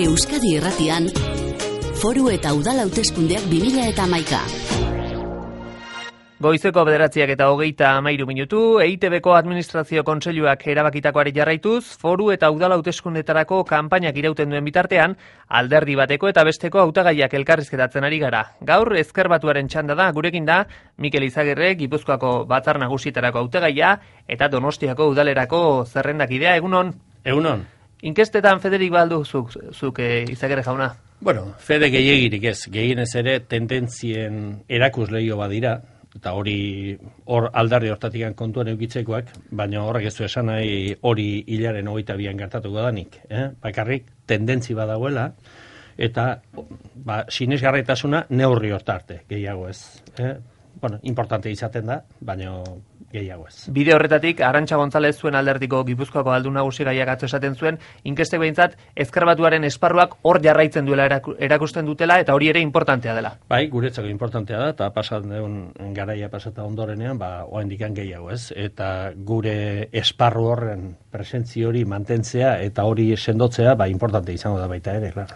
Euskadi Irratian, Foru eta Udal hauteskundeak 2011. Goizeko 9:23 minutu, EITBko Administrazio Kontseiluak erabakitakoari jarraituz, foru eta udal hauteskundetarako kanpainak irauten duen bitartean, alderdi bateko eta besteko hautagaiak elkarrizketatzen ari gara. Gaur Ezker Batuaren txanda da, gurekin da, Mikel Izagirre, Gipuzkoako Batzar Nagusietarako hautagaia eta Donostiako udalerako zerrendakidea. Egunon? Egunon. Inkestetan Federik baldu zuk Izagirre jauna? Bueno, fede gehiagirik ez. Gehienez ere tendentzien erakusleio badira, eta hor aldarri hortatik kontuan eukitzekoak, baina horrek ez du esan nahi hori hilaren 22an gertatuko danik. Bakarrik tendentzi badagoela, eta sinesgarritasuna neurri hortarte, gehiago ez. Importante izaten da, baina gehiago ez. Bide horretatik, Arantxa González zuen alderdiko Gipuzkoako aldun nagusi gaiak atzo esaten zuen, inkestek behintzat Ezker Batuaren esparruak hor jarraitzen duela erakusten dutela, eta hori ere importantea dela. Bai, guretzako importantea da, eta garaia pasata ondorenean, oraindik gehiago ez. Eta gure esparru horren presentzi hori mantentzea eta hori sendotzea, importante izango da baita ere, klar.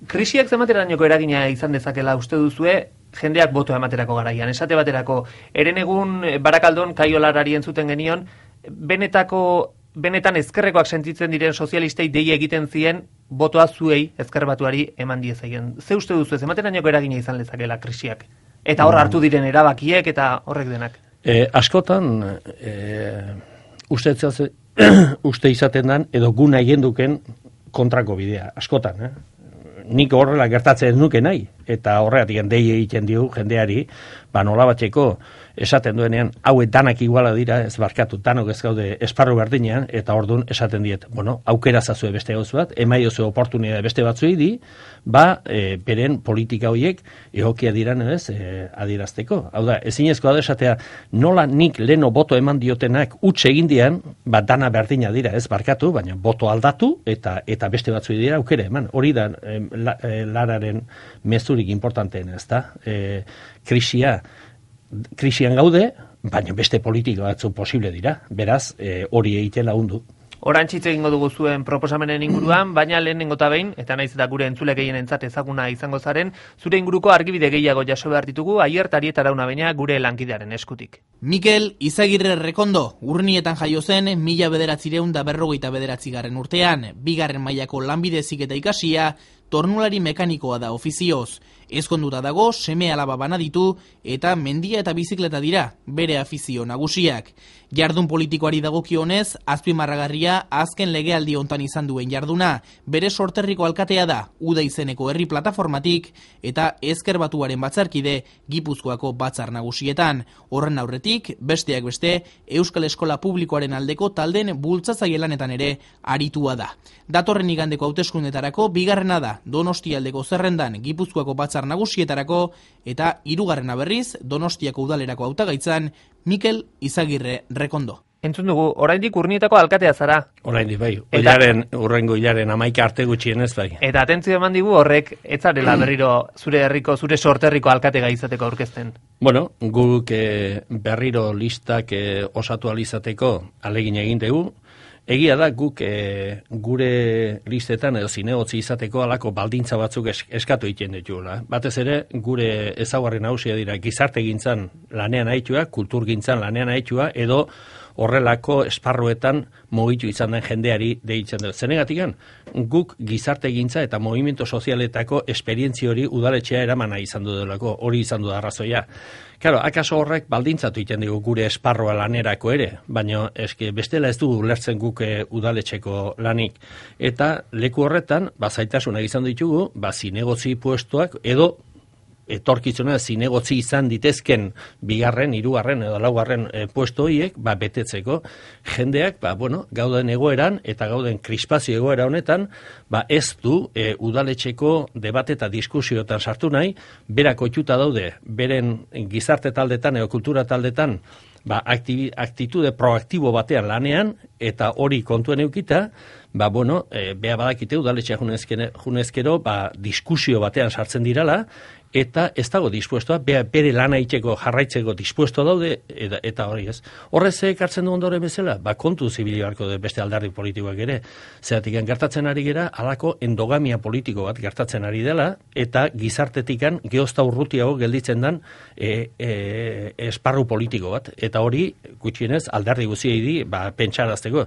Krisiak zenbaterainoko eragina izan dezakela uste duzue, jendeak botoa ematerako garaian. Esate baterako, Herenegun Barakaldon Kaiolarari entzuten genion, benetan ezkerrekoak sentitzen diren sozialistei dei egiten zien botoa zuei Ezker Batuari eman diezaien. Ze uste duzu, zenbaterainoko eragina izan lezakela krisiak? Eta hor hartu diren erabakiek eta horrek denak? Askotan, uste izaten dan, edo guna egin duken kontrako bidea. Askotan, nik horrela gertatzen nuke nahi, eta horregatik dei egiten dio jendeari, nolabatzeko esaten duenean, hauek danak iguala dira, ez barkatu, danok ez gaude esparru berdinean, eta orduan esaten diet, aukera zazue beste gauz bat, emaiozu oportunidade beste batzuei di, beren politika horiek egokia diran adierazteko. Hau da, ezinezkoa da esatea, nola nik leno boto eman diotenak utxe egin dian, dana berdina dira, ez barkatu, baina boto aldatu, eta beste batzuei dira aukera eman. Hori da, lararen mezurik importanteena, ez da? Krisian gaude, baina beste politika batzu posible dira. Beraz, hori egiten lagundu. Orantxitz egingo dugu zuen proposamenen inguruan, baina lehenengo eta behin, eta naiz eta gure entzule gehienentzat ezaguna izango zaren, zure inguruko argibide gehiago jaso behar ditugu, Aier Tarieta Arauna baina gure lankidearen eskutik. Mikel Izagirre Rekondo, Urnietan jaio zen 1959 urtean, 2. mailako lanbide heziketa ikasia, tornulari mekanikoa da ofizioz. Ezkonduta dago, seme alaba bana ditu eta mendia eta bizikleta dira, bere afizio nagusiak. Jardun politikoari dagokionez, azpimarragarria azken legealdi hontan izan duen jarduna, bere sorterriko alkatea da, Uda izeneko herri plataformatik eta Ezker Batuaren batzarkide Gipuzkoako batzar nagusietan. Horren aurretik, besteak beste, Euskal Eskola Publikoaren aldeko talden bultzatzaile lanetan ere aritua da. Datorren igandeko hauteskundetarako 2. da, Donostialdeko zerrendan Gipuzkoako batzar nagusietarako eta 3. berriz Donostiako udalerako hautagaitzan Mikel Izagirre Rekondo. Entzun dugu, oraindik Urnietako alkatea zara. Oraindik bai, urrengo hilaren 11 arte gutxienez bai. Eta atentzio eman digu horrek, ez zarela berriro zure sorterriko alkatega izateko aurkezten. Bueno, guk berriro listak osatu alizateko alegin egin dugu. Egia da guk gure listetan edo zinegotzi izateko alako baldintza batzuk eskatu egiten ditugula. Batez ere, gure ezaugarri nagusia dira gizartegintzan lanean aitua, kulturgintzan lanean aitua, edo horrelako esparruetan mugitu izan den jendeari deitzen dut. Zenegatikan, guk gizartegintza eta movimiento sozialetako esperientzi hori udaletxea eramana izan du delako, hori izan du arrazoia. Claro, akaso horrek baldintzatu egiten dugu gure esparroa lanerako ere, baina bestela ez dugu lertzen guk udaletxeko lanik. Eta leku horretan, zailtasunak izan ditugu, zinegotzi puestoak edo etorkizuna zinegotzi izan ditezken 2., 3. edo 4. puesto horiek betetzeko jendeak gauden egoeran eta gauden krispazio egoera honetan ez du udaletxeko debate eta diskusioetan sartu nahi, berak ohituta daude beren gizarte taldetan edo kultura taldetan aktitude proaktibo batean lanean eta hori kontuen eukita beha badakite udaletxea junezkero diskusio batean sartzen dirala eta ez dago dispuestoa, bere lana itxeko jarraitzeko dispuesto daude, eta hori ez. Horrez ekartzen du ondoren bezala, kontu zibili barko de beste alderdi politikoak ere, zeratik gertatzen ari gera, alako endogamia politiko bat gertatzen ari dela, eta gizartetikan geozta urrutiago gelditzen dan esparru politiko bat, eta hori, gutxienez, alderdi guziei di, pentsarazteko.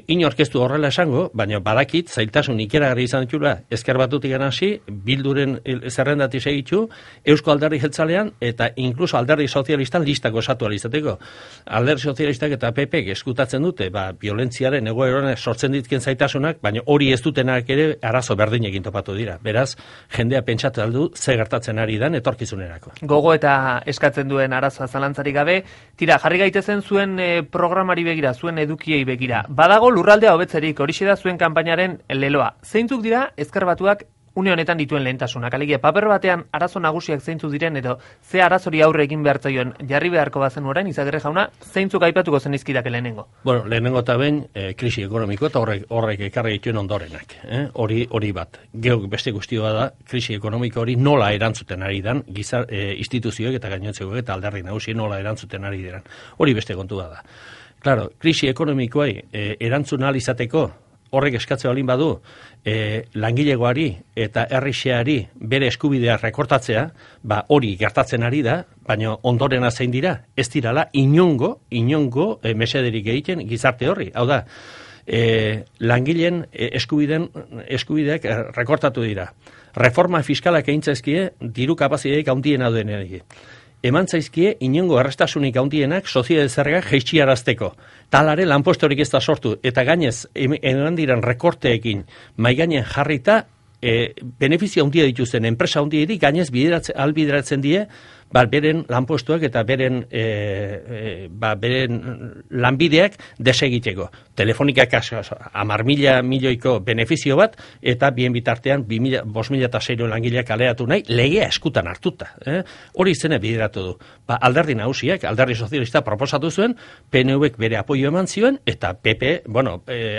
Inorkeztu horrela esango, baina badakit, zailtasun ikeragarri izan ditula, ezker batutik hasi, Bilduren zerrendati segitu, Eusko Alderdi Jeltzalean, eta inkluso Alderdi Sozialistan listako osatu alizateko. Alderdi Sozialistak eta PPek eskutatzen dute, violentziaren egoeran sortzen ditken zaitasunak, baina hori ez dutenak ere arazo berdinekin topatu dira. Beraz, jendea pentsatu aldu, ze gertatzen ari dan etorkizunerako. Gogo eta eskatzen duen arazoa zalantzarik gabe, tira, jarri gaitezen zuen programari begira, zuen edukiei begira. Badago lurraldea hobetzerik, horixe da zuen kanpainaren leloa. Zeintzuk dira ezker batuak une honetan dituen lehentasunak? Alegia, paper batean arazo nagusiak zeintzuk diren edo ze arazori aurre egin behar zaioen jarri beharko bazen orain, Izagirre jauna, zeintzuk aipatuko zenizkidake lehenengo? Bueno, lehenengo eta behin krisi ekonomiko eta horrek ekarri dituen ondorenak. Hori bat. Geok beste guztioa da, krisi ekonomiko hori nola erantzuten ari dan, instituzioek eta gainontzekoek eta alderdi nagusi nola erantzuten ari diran. Hori beste kontua da. Claro, krisi ekonomikoai erantzun ahal izateko horrek eskatzea balin badu langilegoari eta herrixeari bere eskubidea rekortatzea, hori gertatzen ari da, baina ondorena zein dira, ez dirala inongo mesederik egiten gizarte horri. Hau da, langileen eskubideak rekortatu dira. Reforma fiskalak egin zaizkie diru kapazideik handiena duen ere. Eman zaizkie inongo errestasunik handienak soziedade zergak jaitxiarazteko. Talare lanpostorik ez da sortu, eta gainez eman diren rekorteekin maigainen jarrita benefizio handia dituzten enpresa handiei gainez albideratzen die beren lanpostuak eta beren lanbideak desegiteko. Telefonikak 10.000 milioiko benefizio bat, eta bien bitartean 5.006 langileak aleatu nahi, legea eskutan hartuta. Hori izene bideratu du. Alderdi nagusiak, alderdi sozialista proposatu zuen, PNVek bere apoio eman zioen, eta PP,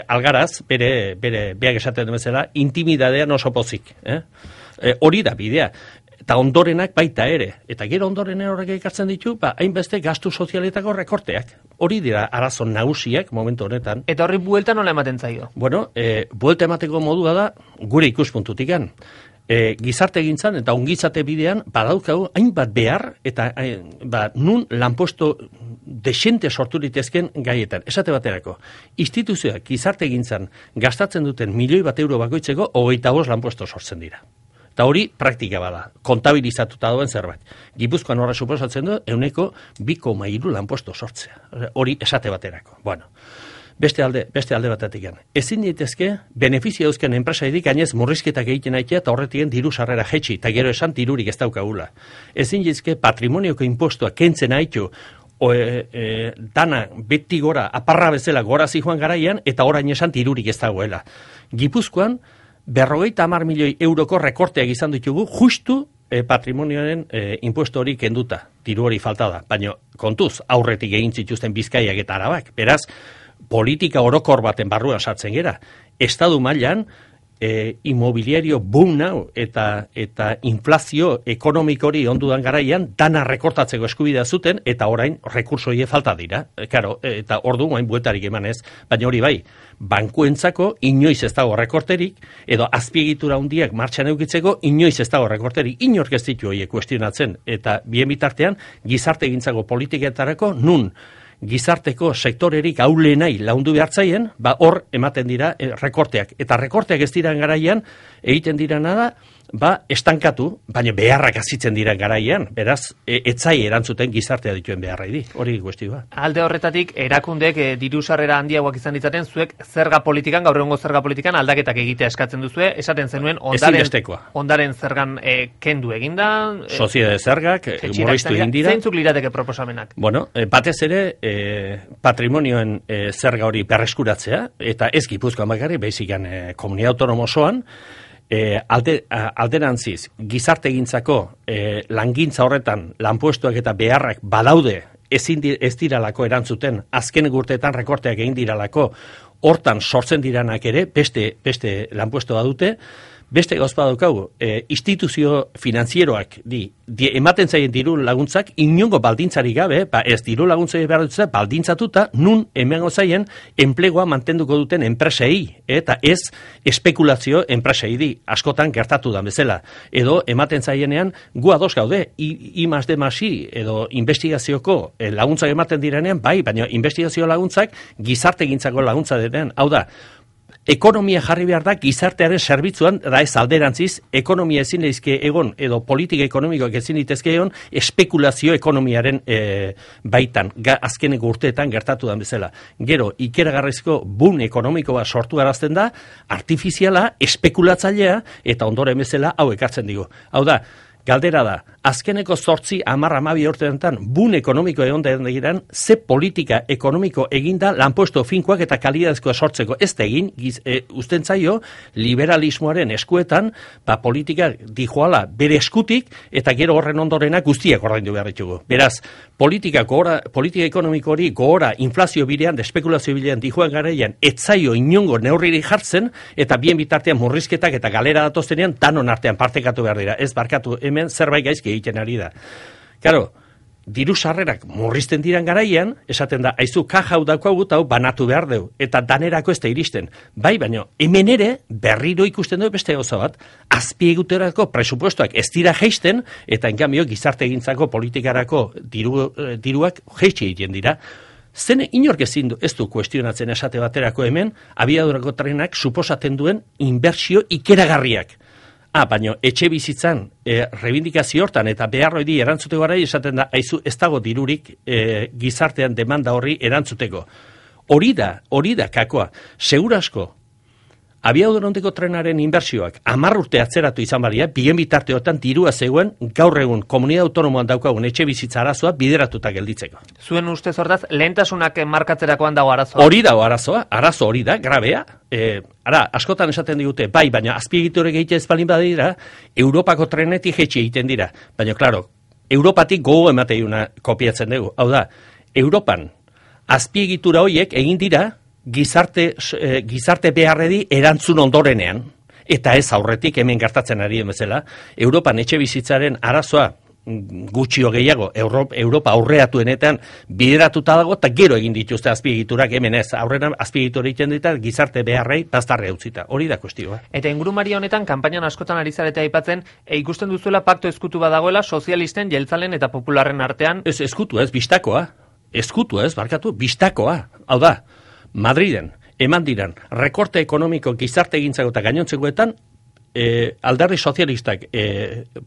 algaraz, bere beak esaten den bezala, intimidadean oso pozik. Hori da bidea. Eta ondorenak baita ere. Eta gero ondoren horrek ekartzen ditu, hainbeste gastu sozialetako rekorteak. Hori dira arazo nagusiak momentu honetan. Eta horri buelta nola ematen zaio? Bueno, buelta emateko modua da gure ikuspuntutikan. Gizarte egintzan eta ongizate bidean badaukau hainbat behar eta nun lanposto desente sortu litezken gaietan. Esate baterako, instituzioak gizarte egintzan gastatzen duten €1.000.000 bakoitzeko 25 lanposto sortzen dira. Eta hori praktika bada, kontabilizatuta duen zerbait. Gipuzkoan horra suposatzen du, 2,3 lanposto sortzea. Hori esate baterako. Bueno, beste alde batetik. Ezin ditezke, benefizio dauzken enpresaidik gainez murrizketak egiten aitea eta horretien diru sarrera jetxi, eta gero esan dirurik ez daukagula. Ezin ditezke, patrimonioko impostua kentzen aitu, dana beti gora, aparra bezala gora zijoan garaian, eta orain esan dirurik ez dagoela. Gipuzkoan, 50 milioi euroko rekorteak izan ditugu, justu patrimonioaren impuesto hori kenduta, diru hori falta da. Baina kontuz, aurretik egin zituzten Bizkaiak eta Arabak. Beraz, politika orokor baten barruan sartzen gera. Estatu mailan, inmobiliario boom nau eta inflazio ekonomikori ondudan garaian dana rekortatzeko eskubidea zuten eta orain rekursoie falta dira. Claro, eta ordu guain bueltarik emanez, baina hori bai, bankuentzako inoiz ez dago rekorterik edo azpiegitura handiak martxan eukitzeko inoiz ez dago rekorterik, inork ez ditu horiek kuestionatzen eta bien bitartean gizarte egintzako politiketarako nun gizarteko sektorerik aulenai laundu behartzaien, hor ematen dira rekorteak. Eta rekorteak ez diran garaian, egiten dirana da, estankatu, baina beharrak azitzen diran garaian, beraz, etzai erantzuten gizartea dituen beharrai di. Hori kuestioa. Alde horretatik, erakundek diru sarrera handiagoak izan ditzaten, zuek zerga politikan, gaur egungo zerga politikan aldaketak egitea eskatzen duzue, esaten zenuen ondaren zergan kendu eginda. Soziedade zergak, murriztu egin dira. Zeintzuk lirateke proposamenak? Bueno, batez ere, patrimonioen zerga hori berreskuratzea, eta ez Gipuzkoan bakarrik, baizikan komunitate autonomo osoan, alderantziz, gizarte egintzako langintza horretan lanpostuak eta beharrak badaude ez diralako erantzuten, azken urteetan rekorteak egin diralako, hortan sortzen diranak ere, beste lanpuestoa dute, Beste gozpa daukagu, instituzio finanzieroak ematen zaien diru laguntzak inongo baldintzari gabe, ez diru laguntzari behar dut baldintzatuta, nun emango zaien enplegua mantenduko duten enpresei, eta ez espekulazio enpresei di, askotan gertatu da bezala. Edo ematen zaienean, gu ados gaude, I+D+I edo investigazioko laguntzak ematen direnean, bai, baina investigazio laguntzak gizartegintzako laguntza denean, hau da, ekonomia jarri behar da gizartearen zerbitzuan, da ez alderantziz, ekonomia ezin daizke egon, edo politika ekonomikoak ezin daitezke egon, espekulazio ekonomiaren baitan, azkeneko urteetan gertatu da bezala. Gero, ikeragarrizko boom ekonomikoa sortu garazten da, artifiziala, espekulatzailea, eta ondoren bezala hau ekartzen digu. Hau da, galdera da, azkeneko 8-10-12 urteetan boom ekonomiko egon da egiran, ze politika ekonomiko eginda lanpostu finkoak eta kalidadezkoa sortzeko. Ez da egin, usten zaio, liberalismoaren eskuetan, politika dijoala bere eskutik, eta gero horren ondorenak guztiak ordaindu behar ditugu. Beraz, politika ekonomiko hori gogora inflazio bidean, espekulazio bidean dijoan garaian, etzaio inongo neurriri jartzen, eta bien bitartean murrizketak eta galera datoztenean, danon artean partekatu behar dira. Ez barkatu, hemen zerbait gaizki egiten ari da. Claro, diru sarrerak murrizten diran garaian, esaten da, aizu kaja hau daukagu hau banatu behar deu, eta danerako ez da iristen. Bai, baina hemen ere berriro ikusten du beste gauza bat, azpieguterako presupuestoak ez dira jeisten, eta enkambio gizarte egintzako politikarako diruak jeitsi egiten dira. Zen inork ez du kuestionatzen esate baterako hemen, abiadurako trenak suposatzen duen inbertsio ikeragarriak. Baina etxe bizitzan reivindikazio hortan eta beharroi erantzuteko gara esaten da, aizu ez dago dirurik gizartean demanda horri erantzuteko. Hori da kakoa. Segurasko, abiadurondeko trenaren inbertsioak 10 urte atzeratu izan balia, bien bitarteotan dirua zegoen gaur egun komunidad autonomoan daukagun etxe bizitza arazoa bideratuta gelditzeko. Zuen ustez hortaz, lehentasunak markatzerakoan dago arazoa? Hori dago arazo hori da, grabea. Askotan esaten digute, bai, baina azpiegiturek egite ez balin badira, Europako trenetik jetxe egiten dira. Baina, klaro, Europatik gogo emateiuna kopiatzen dugu. Hau da, Europan azpiegitura horiek egin dira, gizarte beharredi erantzun ondorenean, eta ez aurretik hemen gertatzen ari bezala, Europan etxe bizitzaren arazoa gutxio gehiago, Europa aurreatuenetan bideratuta dago, eta gero egin dituzte azpiegiturak hemen ez, aurrenan azpiegitura egiten dita gizarte beharrei baztarre utzita, hori da kuestioa. Eta ingurumaria honetan, kanpainan askotan ari zarete aipatzen, ikusten duzuela pakto ezkutu badagoela sozialisten, jeltzalen eta popularren artean? Ez ezkutu ez, bistakoa, bistakoa, hau da, Madriden, eman diran, rekorte ekonomiko gizarte egintzako eta gainontzekoetan, alderdi sozialistak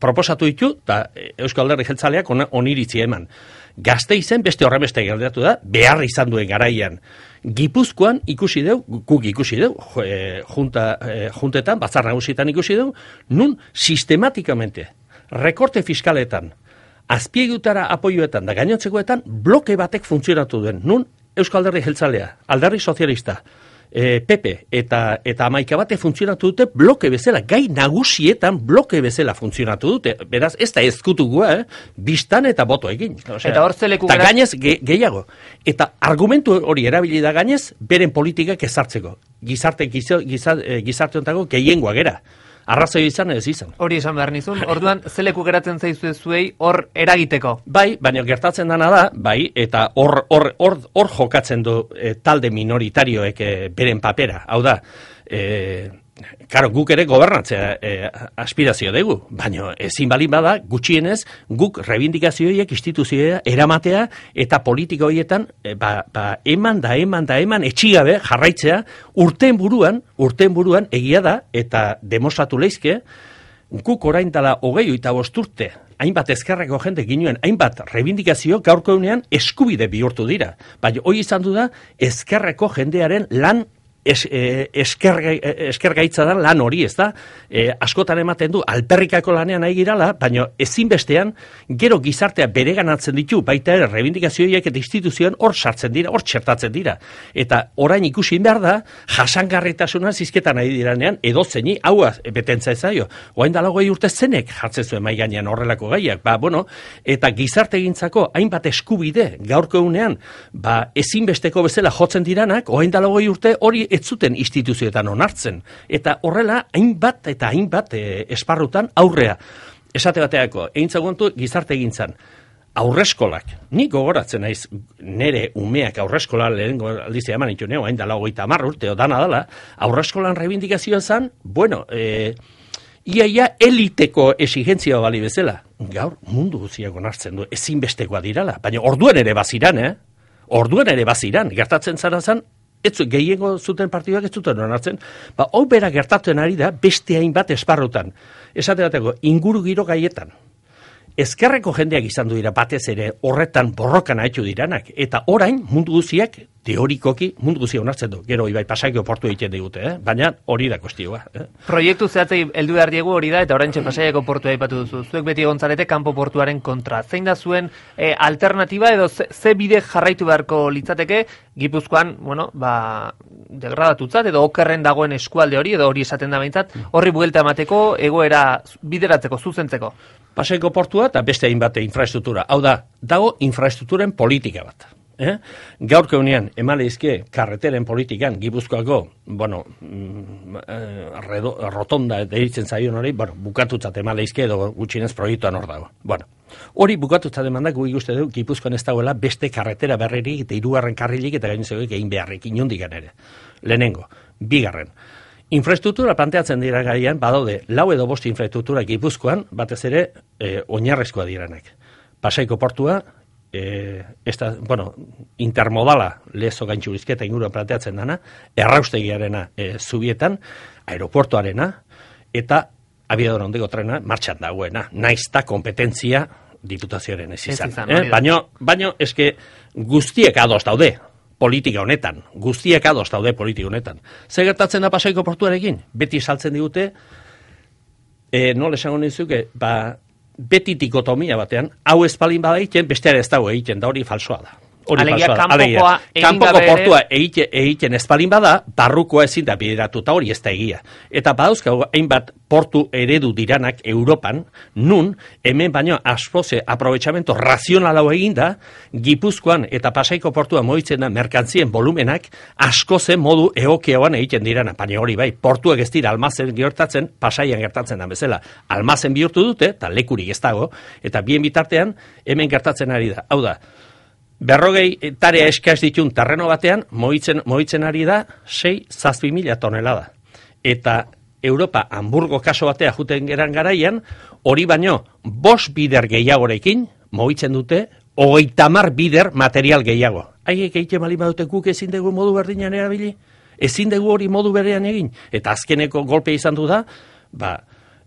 proposatu ditu, eta Euskal Alderdi Jeltzaleak oniritzi eman. Gasteizen beste horremeste gertatu da, behar izan duen garaian. Gipuzkoan guk ikusi deu, juntetan, batzar nagusietan ikusi deu, nun sistematikamente, rekorte fiskaletan, azpiegutara apoioetan da gainontzekoetan, bloke batek funtzionatu duen, nun Euskal Alderdi Jeltzalea, Alderdi Sozialista, PP eta Amaika bate funtzionatu dute bloke bezala, gai nagusietan bloke bezala funtzionatu dute. Beraz, ez da ezkutugua, bistan eta boto egin. Eta hor zeleku eta gainez gehiago. Eta argumentu hori erabili da gainez, beren politikak ezartzeko. Gizarte hontako gehiengoa gera. Arrazoi izan ez izan. Hori esan behar nizun, orduan zeleku geratzen zaizu zuei hor eragiteko. Bai, baina gertatzen dana da, bai, eta hor jokatzen du talde minoritarioek beren papera. Hau da, karo, guk ere gobernatzea aspirazio dugu, baina ezin balin bada, gutxienez, guk reivindikazioiek instituzioa eramatea eta politika horietan eman etxigabe jarraitzea urteen buruan egia da eta demostratu leizke, guk orain dela 25 urte hainbat ezkerreko jende ginuen, hainbat reivindikazio gaurko egunean eskubide bihurtu dira. Baina hori izan du da ezkerreko jendearen lan eskergaitza da lan hori, ez da? Askotan ematen du, alperrikako lanean nahi girala, baina ezinbestean, gero gizartea bereganatzen ditu, baita ere, reivindikazioiek eta instituzioan hor sartzen dira, hor txertatzen dira. Eta orain ikusi behar da, jasangarritasuna zizketan nahi diranean, edo zeini, hau betentza ezaio. Oain dala 20 urte zenek jartzen zuen mai gainean horrelako gaiak. Eta gizarte egintzako hainbat eskubide gaurko egunean, ezinbesteko bezala jotzen diranak, oain dala 20 urte hori ez zuten instituzioetan onartzen. Eta horrela, hainbat esparrutan aurrea. Esate bateako, egin zagontu gizarte egintzan. Aurreskolak, nik gogoratzen naiz nere umeak aurreskola lehenengo aldizia eman ditu neo, hain dala 30 urte, dana dala, aurreskolan reivindikazioa zen, bueno, iaia eliteko exigentzia bali bezala. Gaur mundu guztiak onartzen du, ezinbestekoa dirala, baina orduen ere baziran, gertatzen zara zen, gehiengo zuten partiduak ez zuten onartzen, hau bera gertatzen ari da beste hainbat esparrutan. Esate bateko, inguru giro gaietan. Ezkerreko jendeak izan du dira batez ere horretan borrokan haitxu diranak. Eta orain mundu guziak, teorikoki, mundu guzia onartzen du. Gero ibai Pasaiko portu egiten digute, baina hori da kostioa. Proiektu zehatzei heldu behar diegu hori da, eta oraintxe Pasaiako portua aipatu duzu. Zuek beti egontzarete kanpo portuaren kontra. Zein da zuen alternatiba edo ze bide jarraitu beharko litzateke Gipuzkoan, degradatutzat edo okerren dagoen eskualde hori, edo hori esaten da behintzat, horri buelta emateko, egoera bideratzeko, zuzentzeko. Pasaiko portua eta beste hainbat infraestruktura. Hau da, dago infraestrukturen politika bat. Gaurko unean, emaleizke karreteren politikan, Gipuzkoako, rotonda deitzen zaion hori, bukatutzat emaleizke edo gutxinez proiektuan hor dago. Hori bukatutzat emandak gu ikuste dugu Gipuzkoan ez dagoela beste karretera berririk eta 3. karrilik eta gainezak egin beharrik inondikan ere. Lehenengo, 2. Infraestruktura planteatzen dira gaian, badaude, 4 edo 5 infraestruktura Gipuzkoan, batez ere, oinarrezkoa diranak. Pasaiko portua, intermodala lezo gaintxurizketa inguruan planteatzen dana, erraustegiarena zubietan, aeroportuarena, eta abiador ondego trena martxan dagoena. Naizta kompetentzia diputazioaren ez izan. Baina eske guztiek ados daude. Politika honetan, guztiak ados daude politika honetan. Zer gertatzen da Pasaiko portuarekin? Beti saltzen digute, nola esango nizuke, beti dikotomia batean, hau espalin bada egiten, besteare ez dago egiten, da hori falsoa da. Kanpoko portua egiten espalin bada, barrukoa ezin da bideratu, eta hori ez da egia. Eta badauzkago, hainbat portu eredu diranak Europan, nun, hemen baino aspoze aprobetxamento razionalau eginda, Gipuzkoan eta Pasaiko portua moitzen da merkantzien volumenak askozen modu egokeoan egiten dirana. Baina hori bai, portuak ez dira almazen gertatzen, Pasaian gertatzen da bezala. Almazen bihurtu dute, eta lekurik ez dago, eta bien bitartean hemen gertatzen ari da. Hau da, 40 tarea eskaz ditun terreno batean, moitzen ari da 6-7 mila tonelada. Eta Europa, Hamburgo kaso batea juten geran garaian, hori baino 5 bider gehiagorekin, moitzen dute, 30 bider material gehiago. Haiek egiten bali badute guk ezin dugu modu berdinan erabili? Ezin dugu hori modu berean egin? Eta azkeneko golpe izan du da,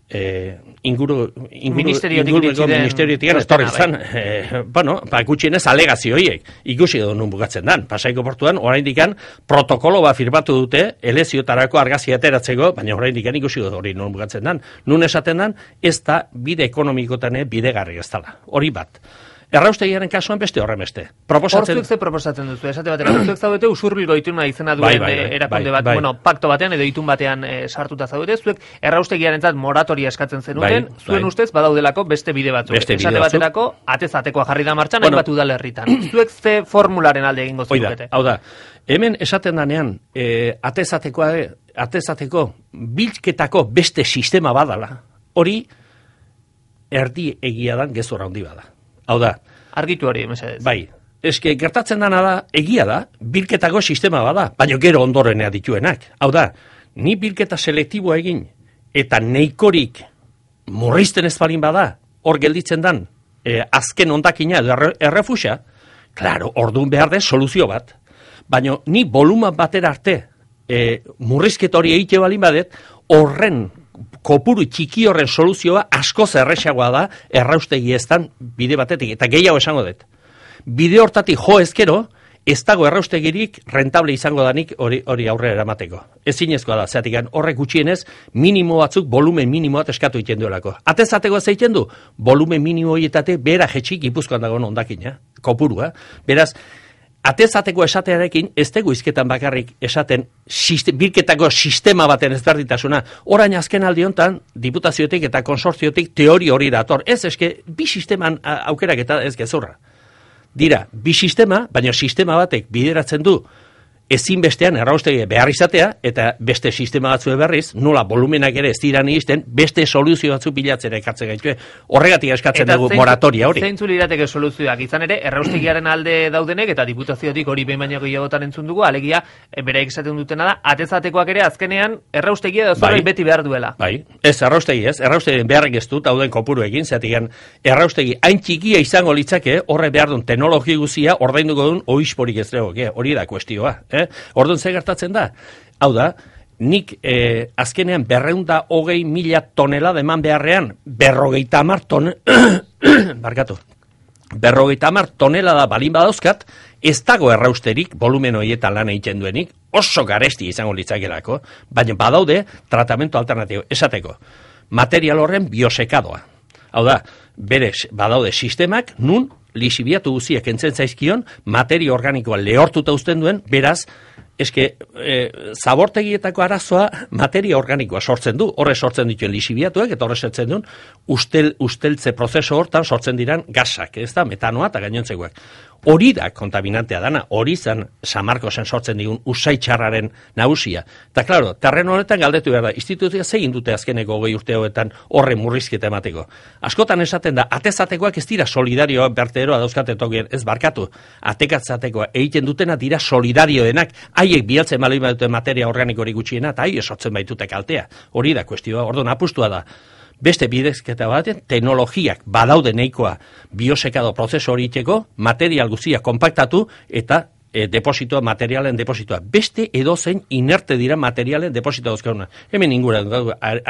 ministeriotik estorri zan, gutxienez alegazio horiek, ikusi edo nun bukatzen dan. Pasaiko portuan, oraindikan protokolo bat firmatu dute, eleziotarako argazia ateratzeko, baina oraindikan ikusi edo hori nun bukatzen dan. Nun esaten dan, ez da bide ekonomikotan bidegarri ez dala. Hori bat. Erraustegiaren kasuan beste horremeste. Zuek ze proposatzen duzu, esate batera, zuek zaudete usurbilgo ituna izena duen erakunde bat, pakto batean edo itun batean sartuta zaudete, zuek erraustegiarentzat moratoria eskatzen zenuten, zuen ustez badaudelako beste bide batzuk. Esate baterako, atezatekoa jarri da martxan, hainbat udalerritan. Zuek ze formularen alde egingo zukete? Hau da, hemen esaten danean, atezateko bilketako beste sistema badala, hori erdi egia dan gezurra handi bada. Hau da. Argitu hori, mesedez. Bai, eske gertatzen dana da, egia da, bilketako sistema bada, baina gero ondorenea dituenak. Hau da, ni bilketa selektiboa egin, eta neikorik murrizten ezbalin bada, hor gelditzen dan, azken ondakina edo errefusa, klaro, orduan behar de soluzio bat. Baina ni voluman batera arte, murrizket hori egite balin badet, horren kopuru txiki horren soluzioa askoz erresagoa da erraustegi eztan bide batetik, eta gehiago esango dut. Bide hortatik jo ezkero, ez dago erraustegirik rentable izango danik hori aurrera eramateko. Ezinezkoa da, zeatik horrek gutxienez, minimo batzuk, volumen minimo bat eskatu egiten duelako. Atezateko ez egiten du, volumen minimo horietate bera jetxik Gipuzkoan dagoen ondakina, kopurua. Beraz, atezateko esatearekin, ez dugu izketan bakarrik esaten bilketako sistema baten ezberditasuna. Orain azken aldi hontan, diputaziotik eta konsortziotik teori hori dator. Ez eske, bi sisteman aukerak eta ez gezurra. Dira, bi sistema, baina sistema batek bideratzen du ezinbestean erraustegi behar izatea, eta beste sistema batzu berriz, nola volumenak ere ez dira nihisten, beste soluzio batzu bilatzera ekartzen gaitu. Horregatik eskatzen dugu moratoria hori. Zeintzu lirateke soluzioak izan ere, erraustegiaren alde daudenek, eta diputaziotik hori behin baino gehiagotan entzun dugu, alegia, beraik esaten dutena da, atezatekoak ere azkenean erraustegia da zorroi beti behar duela. Bai, ez, erraustegien beharrik ez dut, hauden kopuruekin, zeatigan, erraustegi hain txikia izango litzake, horre behar duen teknologi guzia, ordainduko duen oisporik ez dugu, hori da kuestioa. Orduan ze gertatzen da? Hau da, nik azkenean 220.000 tonelada eman beharrean, 50 tonelada balin badauzkat, ez dago errausterik volumen horietan lan egiten duenik, oso garesti izango litzakelako, baina badaude tratamentu alternatibo, esateko, material horren biosekadoa. Hau da, badaude sistemak, nun lixibiatu guziak entzen zaizkion, materia organikoa lehortuta uzten duen, beraz, zabortegietako arazoa materia organikoa sortzen du, horre sortzen dituen lixibiatuak, eta horre sortzen duen usteltze prozeso hortan sortzen diran gasak, ez da, metanoa eta gainontzekoak. Hori da kontaminantea dana, hori zen Samarkosen sortzen digun usaitxarraren nagusia. Eta, klaro, terreno honetan galdetu behar da, instituzioa zegin dute azkeneko 20 urte hauetan horre murrizketa emateko. Askotan esaten da, atezatekoak ez dira solidarioa berteroa dauzkate tokien, ez barkatu. Atekatzatekoa egiten dutena dira solidarioenak, haiek bialtzen malin badute materia organikori gutxiena, eta haiek sortzen baitute kaltea. Hori da kuestioa, orduan apustua da. Beste bidezketa batean, teknologiak badaude nahikoa biosekado prozesu hori iteko, material guzia konpaktatu eta depositoa, materialen depositoa. Beste edozein inerte dira materialen depositoa dauzkaguna. Hemen ingura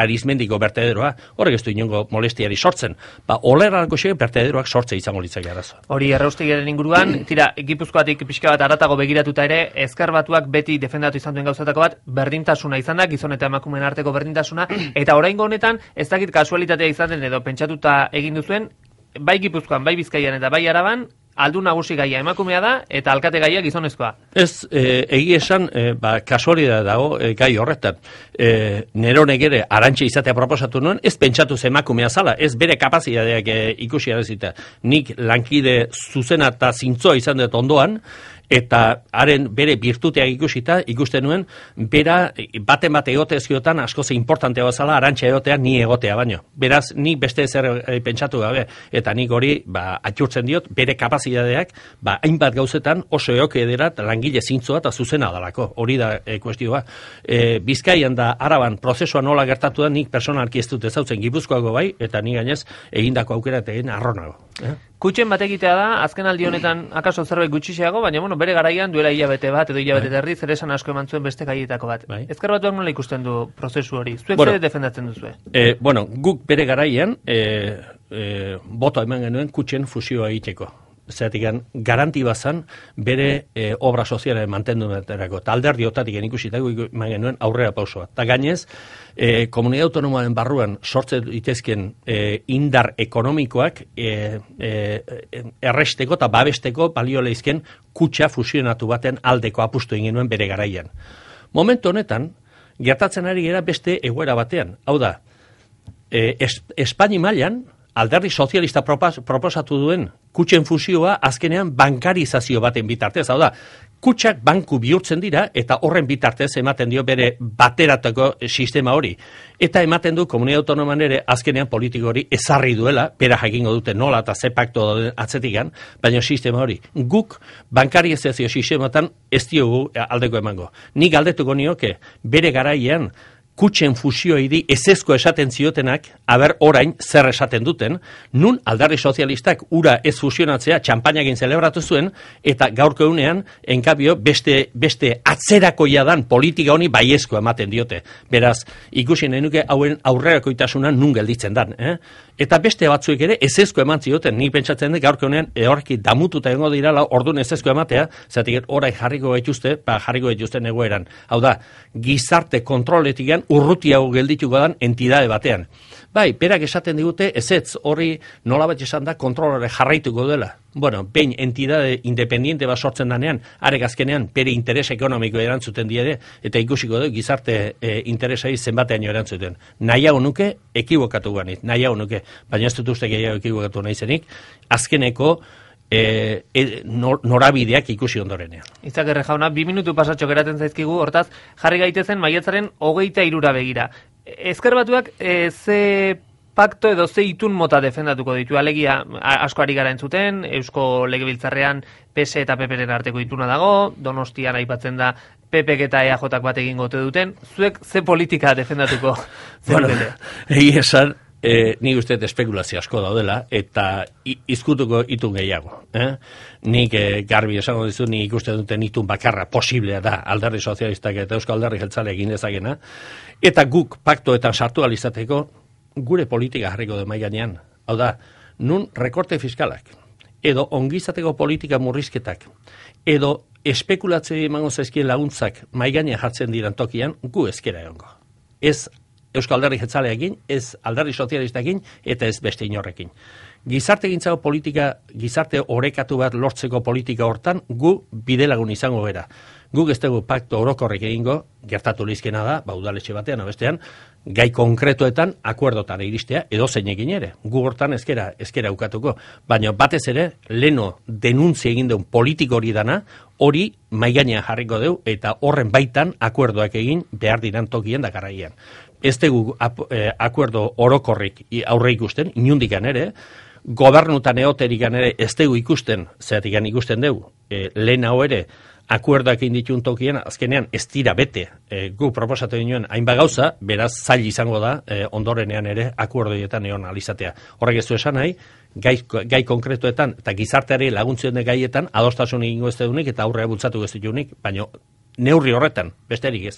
arizmendiko bertederoa, horrek ez du inongo molestiari sortzen. Olerrako xe bertederoak sortze izango litzake arazoa. Hori erraustegiaren inguruan, tira, Gipuzkoatik pixka bat aratago begiratuta ere, ezker batuak beti defendatu izan duen gauzatako bat, berdintasuna izan da, gizon eta emakumeen arteko berdintasuna, eta oraingo honetan, ez dakit kasualitatea izan den edo pentsatuta egin duzuen, bai Gipuzkoan, bai Bizkaian eta bai Araban, aldu nagusi gaia emakumea da, eta alkate gaia gizonezkoa. Ez, egi esan, kasualidad dago gai horretan. Neronek ere arantxe izatea proposatu nuen, ez pentsatu emakumea zala, ez bere kapazidadeak ikusi arazita. Nik lankide zuzena eta zintzoa izan dut ondoan, eta haren bere birtuteak ikusten nuen, bera baten bat egote ezkiotan askoze importantea bazala arantxa egotea ni egotea baino. Beraz, nik beste zer pentsatu gabe, eta nik hori atxurtzen diot, bere kapazidadeak hainbat gauzetan oso eoke edera langile zintzoa eta zuzena dalako. Hori da kuestioa. Bizkaian da Araban prozesua nola gertatu da, nik personalki ez dut ezautzen Gipuzkoago bai, eta nik gainez egindako aukera eta egin arronago. Kutxen bat egitea da, azken aldi honetan akaso zerbait gutxiago, baina bere garaian duela hilabete bat edo hilabete terdi zer esan asko eman zuen beste gaietako bat. Ezker Batuak nola ikusten du prozesu hori? Zuek zer defendatzen duzue? Guk bere garaian boto eman genuen kutxen fusioa egiteko. Zeratik garanti bazan bere obra sozialaren mantendumetarako. Eta alderdi otatik ikusitako eman genuen aurrera pausoa. Eta gainez, komunidad autonomoaren barruan sortzen ditezken indar ekonomikoak erresteko eta babesteko balio lehizken kutxa fusionatu baten aldeko apustu egin genuen bere garaian. Momentu honetan, gertatzen ari gara beste egoera batean. Hau da, Espaini mailan alderdi sozialista proposatu duen kutxen fusioa azkenean bankarizazio baten bitartez. Hau da, kutxak banku bihurtzen dira eta horren bitartez ematen dio bere bateratako sistema hori. Eta ematen du komunidad autonoman ere azkenean politiko hori ezarri duela, bera jakingo dute nola eta ze pakto atzetikan, baina sistema hori. Guk bankarizazio sistematan ez diogu aldeko emango. Nik galdetuko nioke bere garaian kutxen fusioidi ezezko esaten ziotenak, aber orain zer esaten duten, nun alderdi sozialistak ura ez fusionatzea txampainagin zelebratu zuen, eta gaurko egunean, enkabio, beste atzerakoia dan politika honi baiezko ematen diote. Beraz, ikusi nenuke hauen aurrerakoitasuna nun gelditzen dan. Eta beste batzuek ere ezezko eman zioten, nik pentsatzen dut gaurko egunean horreki damututa egongo dirala, orduan ezezko ematea, zatik orain jarriko gaituzten egoeran. Hau da, gizarte kontroletikan urrutiago geldituko dan entidade batean. Bai, berak esaten digute, ezetz hori nolabait esan da kontrolore jarraituko dela. Bueno, behin entidade independiente bat sortzen danean, arek azkenean bere interes ekonomiko erantzuten diede, eta ikusiko du gizarte interesai zenbatean erantzuten. Nahiago nuke, ekibokatu ganit, nahiago nuke, baina ez dut uste gehiago ekibokatu nahi zenik, azkeneko norabideak ikusi ondorenean. Izagirre jauna, 2 minutu pasatxo geratzen zaizkigu, hortaz, jarri gaitezen maiatzaren 23 begira. Ezker Batuak ze pakto edo ze itun mota defendatuko ditu, alegia asko ari gara entzuten, Eusko Legebiltzarrean PS eta PPren arteko ituna dago, Donostian aipatzen da PPk eta EAJak bat egingo ote duten, zuek ze politika defendatuko zenutete? Egia esan, nik uste espekulazio asko daudela, eta izkutuko itun gehiago. Nik garbi esango dizu, nik ikusten duten itun bakarra posiblea da Alderdi Sozialistak eta Euskal Alderdi Jeltzaleak egin dezakena, eta guk paktoetan sartu alizateko gure politika jarriko de mai gainean. Hau da, nun rekorte fiskalak, edo ongizateko politika murrizketak, edo espekulatzea emango zaizkien laguntzak mai gainean jartzen diran tokian, gu ezkera egongo. Ez Euskal Alderdi Jeltzaleekin, ez Alderdi Sozialistarekin eta ez beste inorrekin. Gizarte gintzako politika, gizarte orekatu bat lortzeko politika hortan, gu bidelagun izango bera. Guk ez dugu pakto orokorrek egingo, gertatu lizkena da, udaletxe batean, bestean, gai konkretuetan akuerdotan iristea, edo zeinekin ere. Gu hortan ezkera ukatuko. Baina batez ere, leno denuntzia egin duen politiko hori dana, hori maigainean jarriko deu, eta horren baitan akuerdoak egin behar diran tokien dakarraian. Ez dugu akuerdo orokorrik aurre ikusten, inundikan ere, gobernutan eoterikan ere ez dugu ikusten, zeratikan ikusten dugu, lehen hau ere, akuerdoak inditun tokien, azkenean ez dira bete, gu proposatu dinuen hainbat gauza, beraz zail izango da, ondorenean ere akuerdoietan egon alizatea. Horrek ez du esan nahi, gai konkretuetan eta gizarteari laguntzen gaietan adostasun egingo ez dunik eta aurrea bultzatu ez dunik, baina neurri horretan, besterik ez.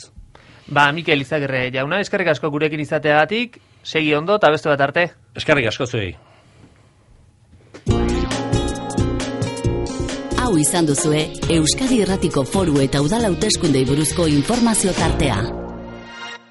Mikel Izagirre jauna, eskerrik asko gurekin izateagatik, segi ondo eta beste bat arte. Eskerrik asko zuei. Hau izan duzue Euskadi Irratiko Foru eta Udal Hauteskundei buruzko informazio tartea.